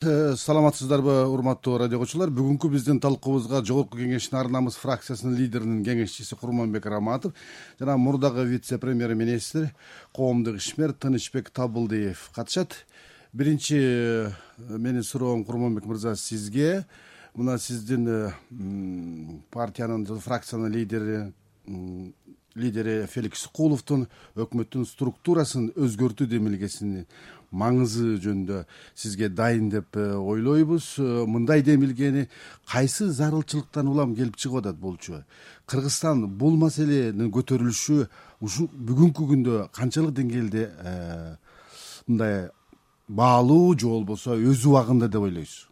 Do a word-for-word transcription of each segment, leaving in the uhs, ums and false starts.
Саламатсыздарбы, урматтуу радио көрүүчүлөр. Бүгүнкү биздин талкуубузга Жогорку Кеңештин Ар намыс фракциясынын лидеринин кеңешчиси Курманбек Раматов жана мурдагы вице-премьер-министр, коомдук ишмер Тынычбек Табылдиев катышат. Биринчи менин суроом, Курманбек мырза, сизге. Мына сиздин партиянын, фракциянын лидери лидери Феликс Куловдун өкмөттүн структурасын өзгөртүү демилгесинин маңызы жөнүндө сизге дайын деп ойлойбуз. Мындай демилгени кайсы зарылчылыктан улам келип чыгып атат болчу? Кыргызстан бул маселенин көтөрүлүшү ушул бүгүнкү күндө канчалык деңгээлде мындай баалуу же болбосо өз убагында деп ойлойсуз?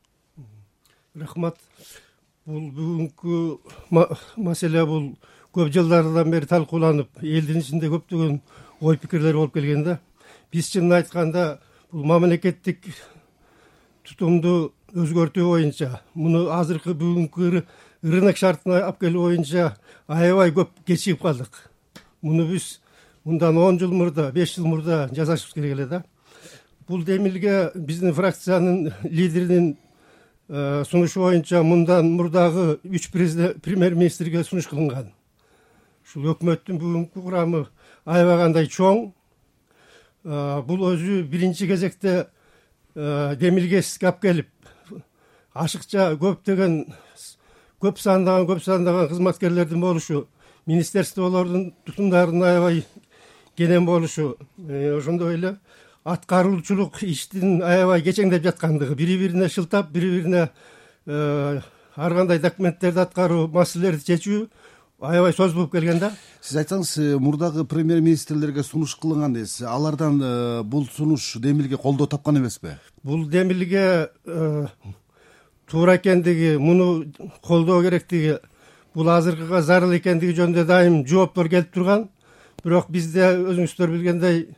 Рахмат. Бул бүгүнкү маселе бул көп жылдардан бери талкууланып, элдин ичинде көптөгөн ой пикирлер болуп келген да. Биз чынын айтканда бул мамлекеттик тутумду өзгөртүү боюнча, муну азыркы бүгүнкү рынок шартына алып келүү боюнча аябай көп кечигип калдык. Муну биз мындан он жыл мурда, беш жыл мурда жасашыбыз керек эле да. Бул демилге биздин фракциянын лидеринин сунушу боюнча мындан мурдагы үч премьер-министрге сунуш кылынган. Ушул өкмөттүн бүгүнкү курамы аябай кандай чоң. Бул өзү биринчи кезекте демилгесизге алып келип, ашыкча көптөгөн көп сандаган көп сандаган кызматкерлердин болушу, министерстволордун тутумдарынын аябай кенен болушу, ошондой эле аткаруучулук иштин аябай кечеңдеп жаткандыгы, бири-бирине шылтап, бири-бирине ар кандай документтерди аткаруу, маселелерди чечүү аябай созулуп келген да. Сиз айтсаңыз, мурдагы премьер-министрлерге сунуш кылынган дейсиз. Алардан бул сунуш демилге колдоо тапкан эмеспи? Бул демилге туура экендиги, муну колдоо керектиги, бул азыркыга зарыл экендиги жөнүндө дайым жооптор келип турган. Бирок бизде өзүңүздөр билгендей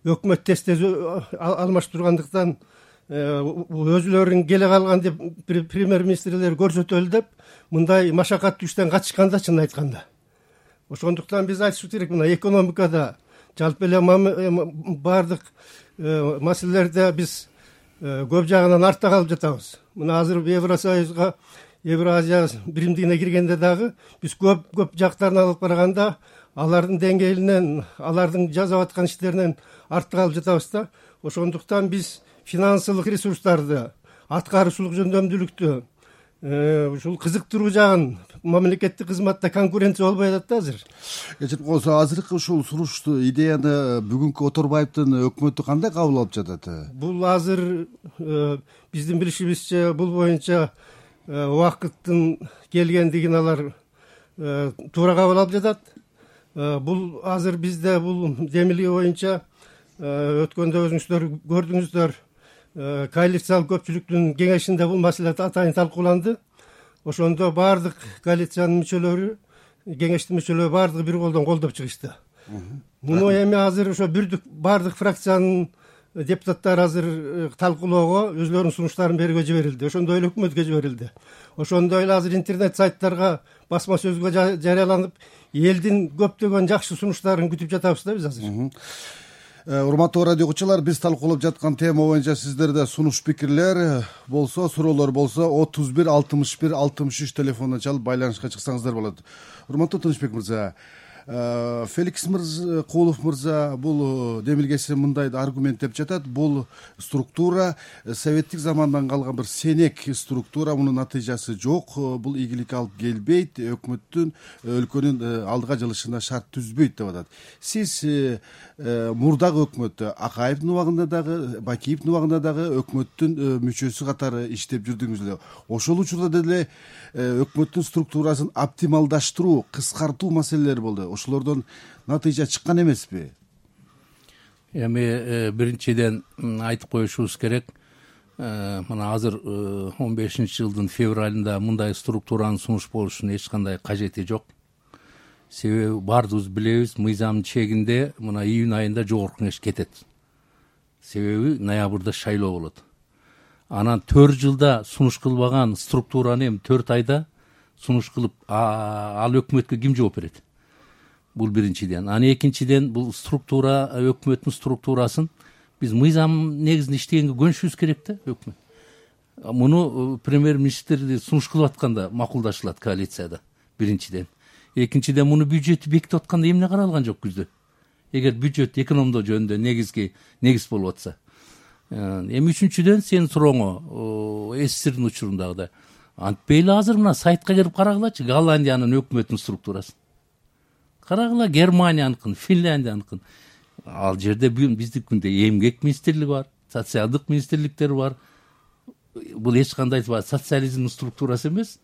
өкмөт тез-тез алмашып тургандыктан өзүлөрүн келе калган деп премьер-министрлер көрсөтөлү деп мындай машакаттуу иштен качышканда, чынын айтканда. Ошондуктан биз айтышыбыз керек, мына экономикада жалпы эле баардык маселелерде биз көп жагынан артта калып жатабыз. Мына азыр Евросоюзга, Евразия биримдигине киргенде дагы биз көп-көп жактарын алып караганда алардын деңгээлинен, алардын жасап аткан иштеринен артта калып жатабыз да. Ошондуктан биз финансылык ресурстарды, аткаруучулук жөндөмдүүлүктү, ушул кызыктыруу жагын, мамлекеттик кызматта конкуренция болбой атат да азыр. Кечирип койсо, азыркы ушул сунушту, идеяны бүгүнкү Оторбаевдин өкмөтү кандай кабыл алып жатат? Бул азыр биздин билишибизче бул боюнча убакыттын келгендигин алар туура кабыл алып жатат. Бул азыр бизде бул демилге боюнча өткөндө өзүңүздөр көрдүңүздөр, коалициялык көпчүлүктүн кеңешинде бул маселе атайын талкууланды. Ошондо баардык коалициянын мүчөлөрү, кеңештин мүчөлөрү баардыгы бир колдон колдоп чыгышты. Муну эми азыр ошо бирдик баардык фракциянын депутаттары азыр талкуулоого, өзлөрүнүн сунуштарын берүүгө жиберилди. Ошондой эле өкмөткө жиберилди. Ошондой эле азыр интернет сайттарга, басма сөзгө жарыяланып, элдин көптөгөн жакшы сунуштарын күтүп жатабыз да биз азыр. Урматтуу радио көрүүчүлөр, биз талкуулап жаткан тема боюнча сиздерде сунуш пикирлер болсо, суроолор болсо, отуз бир алтымыш бир алтымыш үч телефонуна чалып байланышка чыксаңыздар болот. Урматтуу Тынычбек мырза, Феликс Кулов мырза бул демилгеси мындай аргументтеп жатат. Бул структура советтик замандан калган бир сенек структура, мунун натыйжасы жок, бул ийгиликке алып келбейт, өкмөттүн өлкөнүн алдыга жылышына шарт түзбөйт деп атат. Сиз мурдагы өкмөттө, Акаевдин убагында дагы, Бакиевдин убагында дагы өкмөттүн мүчөсү катары иштеп жүрдүңүз эле. Ошол учурда деле өкмөттүн структурасын оптималдаштыруу, кыскартуу маселелери болду. Ошолордон натыйжа чыккан эмеспи? Эми биринчиден айтып коюшубуз керек. Мына азыр он бешинчи жылдын февралында мындай структуранын сунуш болушунун эч кандай кажети жок. Себеби баардыгыбыз билебиз, мыйзамдын чегинде мына июнь айында жогорку кеңеш кетет. Себеби ноябрда шайлоо болот. Анан төрт жылда сунуш кылбаган структураны эми төрт айда сунуш кылып, ал өкмөткө ким жооп берет? Бул биринчиден. Аны экинчиден бул структура, өкмөттүн структурасын биз мыйзам негизинде иштегенге көнүшүбүз керек да, өкмөт. муну премьер министрди сунуш кылып атканда макулдашылат коалицияда биринчиден. Экинчиден муну бюджетти бекитип атканда эмне каралган жок күздө? Эгер бюджет экономдоо жөнүндө негизги негиз болуп атса. Эми үчүнчүдөн сенин сурооңо СССРдин учурундагыдай антпей эле азыр мына сайтка кирип карагылачы Голландиянын өкмөтүнүн структурасын. Карагыла Германияныкын, Финляндияныкын. Ал жерде биздикинде эмгек министрлиги бар, социалдык министрликтер бар. Бул эч кандай социализмдин структурасы эмес.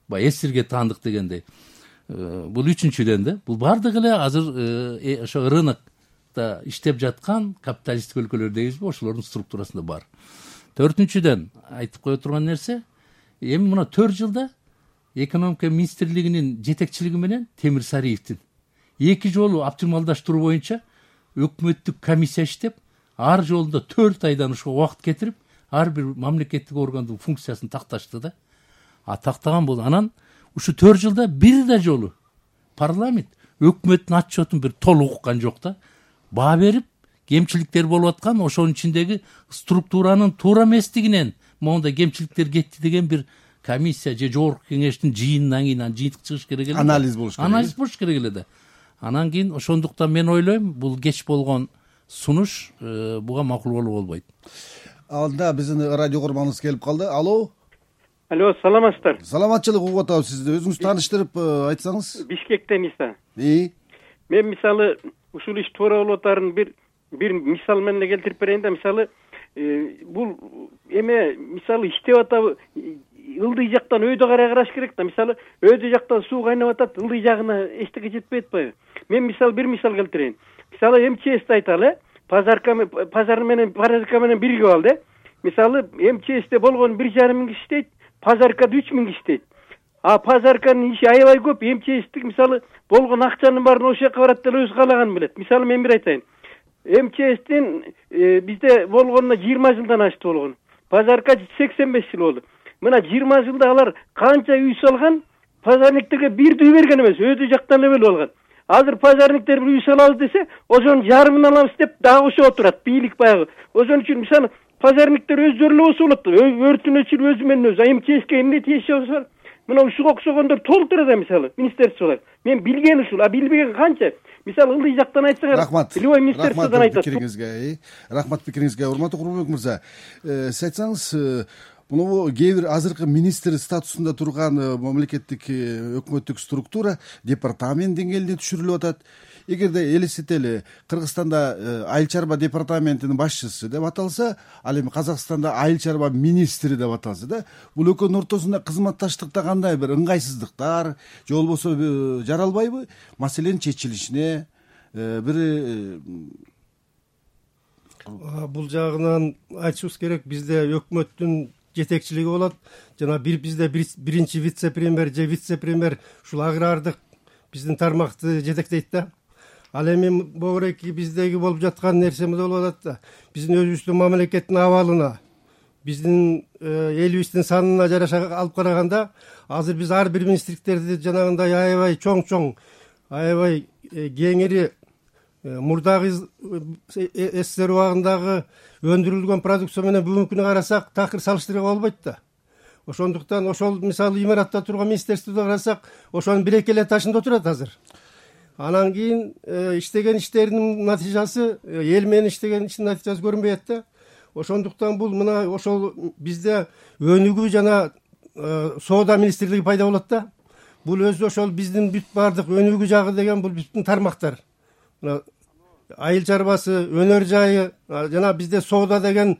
Баягы СССРге таандык дегендей. Бул үчүнчүдөн да, бул бардыгы эле азыр ошо рынокто иштеп жаткан капиталисттик өлкөлөр дейбизби, ошолордун структурасында бар. Төртүнчүдөн айтып кое турган нерсе, эми мына төрт жылда экономика министрлигинин жетекчилиги менен Темир Сариевдин эки жолу оптималдаштыруу боюнча өкмөттүк комиссия иштеп, ар жолунда төрт айдан ушуга убакыт кетирип, ар бир мамлекеттик органдын функциясын такташты да. А тактаган болду. Анан ушу төрт жылда бир да жолу парламент өкмөттүн отчетун бир толук уккан жок да. Баа берип, кемчиликтер болуп аткан, ошонун ичиндеги структуранын туура эместигинен мондай кемчиликтер кетти деген бир комиссия же жогорку кеңештин жыйынынан кийин анан жыйынтык чыгыш керек эле. Анализ болуш керек. Анализ болуш керек эле да. Анан кийин ошондуктан мен ойлойм, бул кеч болгон сунуш буга макул болуп болбойт. Алда биздин радио көрманыбыз келип калды. Алло. Алло, саламатсыздар. Саламатчылык угуп атабыз сизди. Өзүңүз тааныштырып айтсаңыз. Бишкектен Иса. И. Мен мисалы ушул иш туура болуп атарын бир бир мисал менен келтирип берейин да. Мисалы бул эме мисалы иштеп атабы, ылдый жактан өйдө карай караш керек да. Мисалы өйдө жактан суу кайнап атат, ылдый жагына эчтеке жетпей атпайбы? Мен мисал бир мисал келтирейин. Мисалы МЧСти айталы, пазарка пазар менен пазарка менен биригип алды. Мисалы МЧСте болгон бир жарым миң киши иштейт, пазаркада үч миң киши иштейт. А пазарканын иши аябай көп. МЧСтик мисалы болгон акчанын баарын ошол жака барат деле өзү каалаганын билет. Мисалы мен бир айтайын. МЧСтин бизде болгонуна жыйырма жылдан ашты болгон. Пазарка сексен беш жыл болду. Мына жыйырма жылда алар канча үй салган, пазарниктерге бир үй берген эмес, өйдө жактан эле бөлүп алган. Азыр пазарниктер бир үй салабыз десе, ошонун жарымын алабыз деп дагы ошого турат, бийлик баягы. Ошон үчүн мисалы пазарниктер өздөрү эле болсо болот. Өртүн өчүрүп өзү менен өзү. МЧСке эмне тиеши болсо, мына ушуга окшогондор толтура да мисалы министерстволор. Мен билген ушул, а билбеген канча? Мисалы ылдый жактан айтсаңар, рахмат. Любой министерстводон айтат. Пикириңизге, рахмат пикириңизге. Урматтуу Курманбек мырза, сиз айтсаңыз, муну кээ бир азыркы министр статусунда турган мамлекеттик өкмөттүк структура департамент деңгээлинде түшүрүлүп атат. Эгерде элестетели, Кыргызстанда айыл чарба департаментинин башчысы деп аталса, ал эми Казакстанда айыл чарба министри деп аталса да, бул экөөнүн ортосунда кызматташтыкта кандай бир ыңгайсыздыктар же болбосо жаралбайбы? Маселенин чечилишине бир бул жагынан айтышыбыз керек. Бизде өкмөттүн жетекчилиги болот. Жана бир бизде биринчи вице-премьер же вице-премьер ушул агрардык биздин тармакты жетектейт да. Ал эми могуреки биздеги болуп жаткан нерсемиз болуп атат да. Биздин өзүбүздүн мамлекеттин абалына, биздин элибиздин санына жараша алып караганда, азыр биз ар бир министрликтерди жанагындай аябай чоң-чоң, аябай кеңири мурдагы СССР убагындагы өндүрүлгөн продукция менен бүгүнкү күнү карасак, такыр салыштырууга болбойт да. Ошондуктан ошол мисалы имаратта турган министерстводо карасак, ошонун бир-эки эле ташында отурат азыр. Анан кийин иштеген иштеринин натыйжасы, эл менен иштеген иштин натыйжасы көрүнбөй атты. Ошондуктан бул мына ошол бизде өнүгүү жана соода министрлиги пайда болот да. Бул өзү ошол биздин бүт бардык өнүгүү жагы деген бул бүттүн тармактар. Мына айыл чарбасы, өнөр жайы, жана бизде соода деген,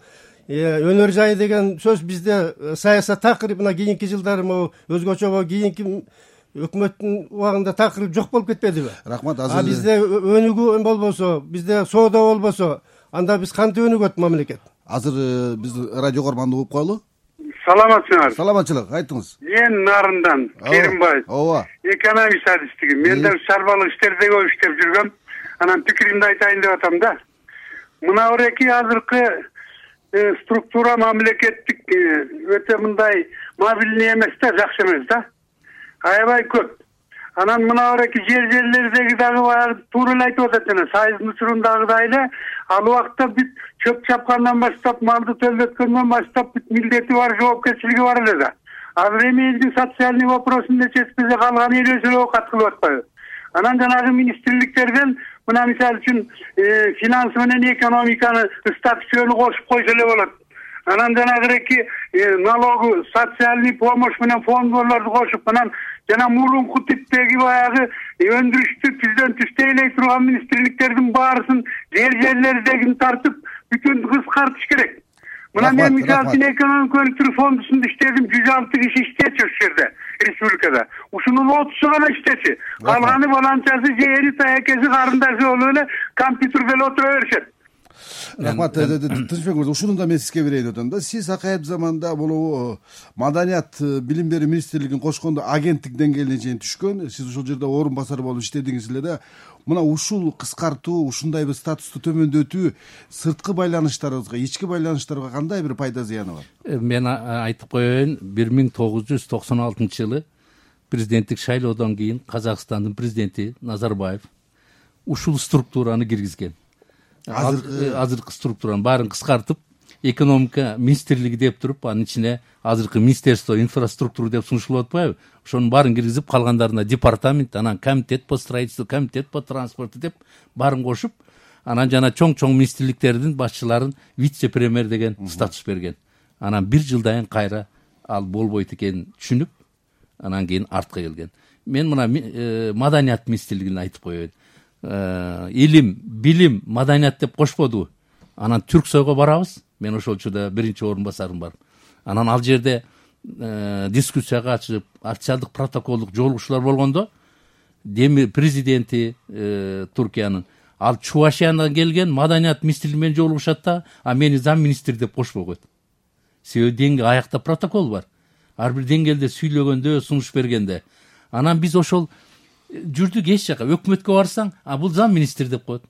өнөр жайы деген сөз бизде саясат такыр мына кийинки жылдары могу өзгөчө кийинки өкмөттүн убагында такыр жок болуп кетпедиби? Рахмат. Азыр А бизде өнүгүү болбосо, бизде соода болбосо, анда биз кантип өнүгөт мамлекет? Азыр биз радио көрманды угуп коелу. Саламатсыңар. Саламатчылык, айтыңыз. Мен Нарындан, Керимбай. Ооба. Экономист адистиги. Мен да шарбалык иштерде көп иштеп жүргөм. Анан пикиримди айтайын деп атам да. Мына ореки азыркы структура мамлекеттик өтө мындай мобильный эмес да, жакшы эмес да. Аябай көп. Анан мына ореки жер жерлердеги дагы баягы туура эле айтып атат жана сайыздын учурундагыдай эле ал убакта бүт чөп чапкандан баштап, малды төлөткөндөн баштап бүт милдети бар, жоопкерчилиги бар эле да. Азыр эми элдин социальный вопросун чечпесе калган эле эле кат кылып атпайбы? Анан жанагы министрликтерден мына мисалы үчүн финансы менен экономиканы статусunu кошуп койсо эле болот. Анан жанагыреки налогу, социальный помощь менен фондорлорду кошуп, анан жана мурунку типтеги баягы өндүрүштү түздөн түштейлей турган министрликтердин баарысын жер жерлердегин тартып бүтүн кыскартыш керек. Мына мен мисалы үчүн экономика өнүктүрүү фондусунда иштедим, жүз алты киши иштечү ушул жерде, республикада. Ушунун отузу гана иштечү. Калганы баланчасы, жери, таякеси, карындашы болуп эле компьютерде эле отура беришет. Рахмат, Тынчбек мырза, ушуну да мен сизге берейин атам да. Сиз акайып заманда бул маданият билим берүү министрлигин кошкондо агенттик деңгээлине чейин түшкөн, сиз ушул жерде орун басары болуп иштедиңиз эле да. Мына ушул кыскартуу, ушундай бир статусту төмөндөтүү сырткы байланыштарыбызга, ички байланыштарга кандай бир пайда зыяны бар? Мен айтып коеюн, бир миң тогуз жүз токсон алтынчы жылы президенттик шайлоодон кийин Казакстандын президенти Назарбаев ушул структураны киргизген. Азыркы азыркы структуранын баарын кыскартып, экономика министрлиги деп туруп, анын ичине азыркы министерство инфраструктура деп сунушталып атпайбы? Ошонун баарын киргизип, калгандарына департамент, анан комитет по строительству, комитет по транспорту деп баарын кошуп, анан жана чоң-чоң министрликтердин башчыларын вице-премьер деген статус берген. Анан бир жылдан кайра ал болбойт экенин түшүнүп, анан кийин артка келген. Мен мына маданият министрлигин айтып коеюн. Илим, билим, маданият деп кошподубу? Анан Түрксойго барабыз. Мен ошол учурда биринчи орун басарым бар. Анан ал жерде дискуссияга ачып, официалдык протоколдук жолугушуулар болгондо, деми президенти Туркиянын ал Чувашиядан келген маданият министрлиги менен жолугушат да, а мени зам министр деп кошпой койт. Себеби деңге аякта протокол бар. Ар бир деңгээлде сүйлөгөндө, сунуш бергенде. Анан биз ошол жүрдүк эч жака, өкмөткө барсаң, а бул зам министр деп коет.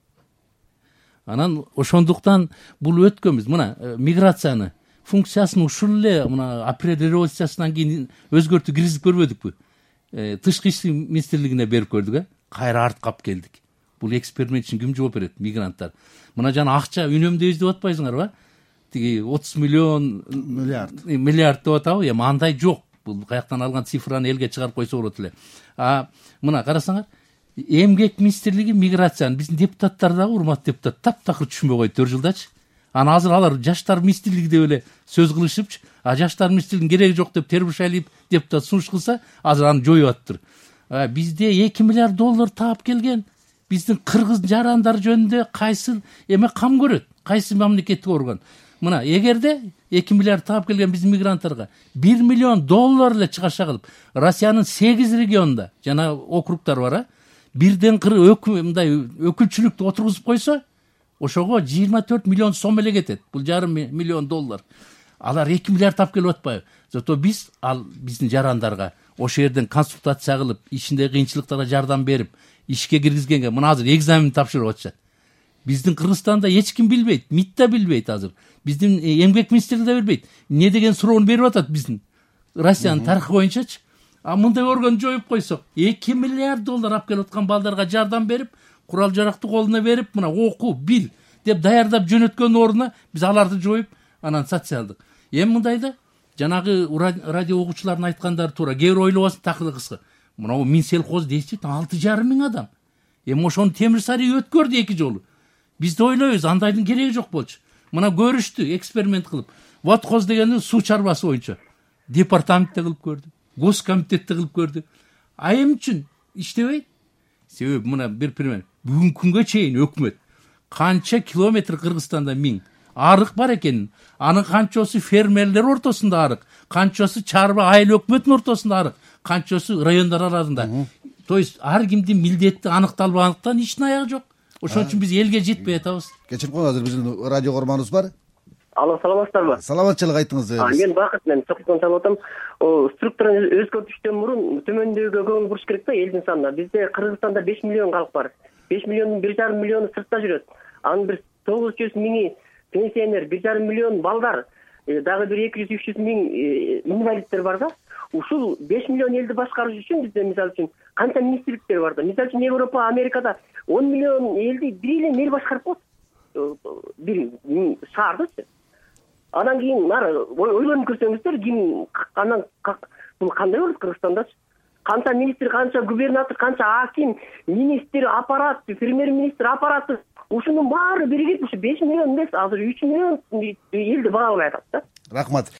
Анан ошондуктан бул өткөнбүз. Мына миграцияны функциясын ушул эле мына апрель революциясынан кийин өзгөртүп киргизип көрбөдүкпү? Тышкы иштер министрлигине берип көрдүк, э? Кайра артка алып келдик. Бул эксперимент үчүн ким жооп берет? Мигранттар. Мына жана акча үнөмдөйбүз деп атпайсыңарбы? Тиги отуз миллион миллиард миллиард деп атабы? Эми андай жок. Бул каяктан алган цифраны элге чыгарып койсо болот эле. А мына карасаңар, эмгек министрлиги миграцияны биздин депутаттар дагы, урматтуу депутат, таптакыр түшүнбөй койду төрт жылдачы. Анан азыр алар жаштар министрлиги деп эле сөз кылышыпчы, а жаштар министрлигинин кереги жок деп Тербишалиев депутат сунуш кылса, азыр аны жоюп атыптыр. Бизде эки миллиард доллар таап келген. Биздин кыргыз жарандар жөнүндө кайсы эме кам көрөт? Кайсы мамлекеттик орган? Мына эгерде эки миллиард таап келген биздин мигранттарга бир миллион доллар эле чыгаша кылып, Россиянын сегиз регионунда жана округдар бар, а бирден кыры мындай өкүлчүлүктү отургузуп койсо, ошого жыйырма төрт миллион сом эле кетет. Бул жарым миллион доллар. Алар эки миллиард таап келип атпайбы? Зато биз ал биздин жарандарга ошол жерден консультация кылып, ичинде кыйынчылыктарга жардам берип, ишке киргизгенге мына азыр экзамен тапшырып атышат. Биздин Кыргызстанда эч ким билбейт, МИД да билбейт азыр. Биздин эмгек министрлиги да билбейт. Эмне деген суроону берип атат биздин Россиянын тарыхы боюнчачы. А мындай органды жоюп койсок, эки миллиард доллар алып келип аткан балдарга жардам берип, курал жаракты колуна берип, мына оку, бил деп даярдап жөнөткөн ордуна биз аларды жоюп, анан социалдык. Эми мындайда жанагы радио угуучулардын айткандары туура. Кээ бир ойлобосун такырды кыска. Мына Минселхоз дейсиз, алты жарым миң адам. Эми ошону Темир Сарый өткөрдү эки жолу. Биз да ойлойбуз, андайдын кереги жок болчу. Мына көрүштү, эксперимент кылып. Водхоз дегенди суу чарбасы боюнча департаментте кылып көрдү, госкомитетте кылып көрдү. А эмне үчүн иштебейт? Себеби мына бир пример. Бүгүнкү күнгө чейин өкмөт канча километр Кыргызстанда миң арык бар экен. Анын канчасы фермерлер ортосунда арык, канчасы чарба айыл өкмөтүнүн ортосунда арык, канчасы райондар арасында. То есть ар кимдин милдети аныкталбагандыктан иштин аягы жок. Ошон үчүн биз элге жетпей атабыз. Кечирип коюңуз, азыр биздин радио көрманыбыз бар. Алло, саламатсыздарбы? Саламатчылык, айтыңыз. Мен Бакыт, мен Чокуттан чалып атам. Структураны өзгөртүштөн мурун төмөндөгө көңүл буруш керек да, элдин санына. Бизде Кыргызстанда беш миллион калк бар. беш миллиондун бир жарым миллиону сыртта жүрөт. Анын бир тогуз жүз миңи пенсионер, бир жарым миллион балдар. дагы бир эки жүз үч жүз миң инвалидтер бар да. Ушул беш миллион элди башкарыш үчүн бизде мисалы үчүн канча министрликтер бар да. Мисалы үчүн Европа, Америкада он миллион элди бир эле мэр башкарып коет. Бир шаардычы. Анан кийин ойлонуп көрсөңүздөр, ким анан бул кандай болот Кыргызстандачы? Канча министр, канча губернатор, канча аким, министр, аппарат, премьер-министр аппараты, ушунун баары биригип ушу беш миллион эмес, азыр үч миллион элди багалай атат да. Рахмат.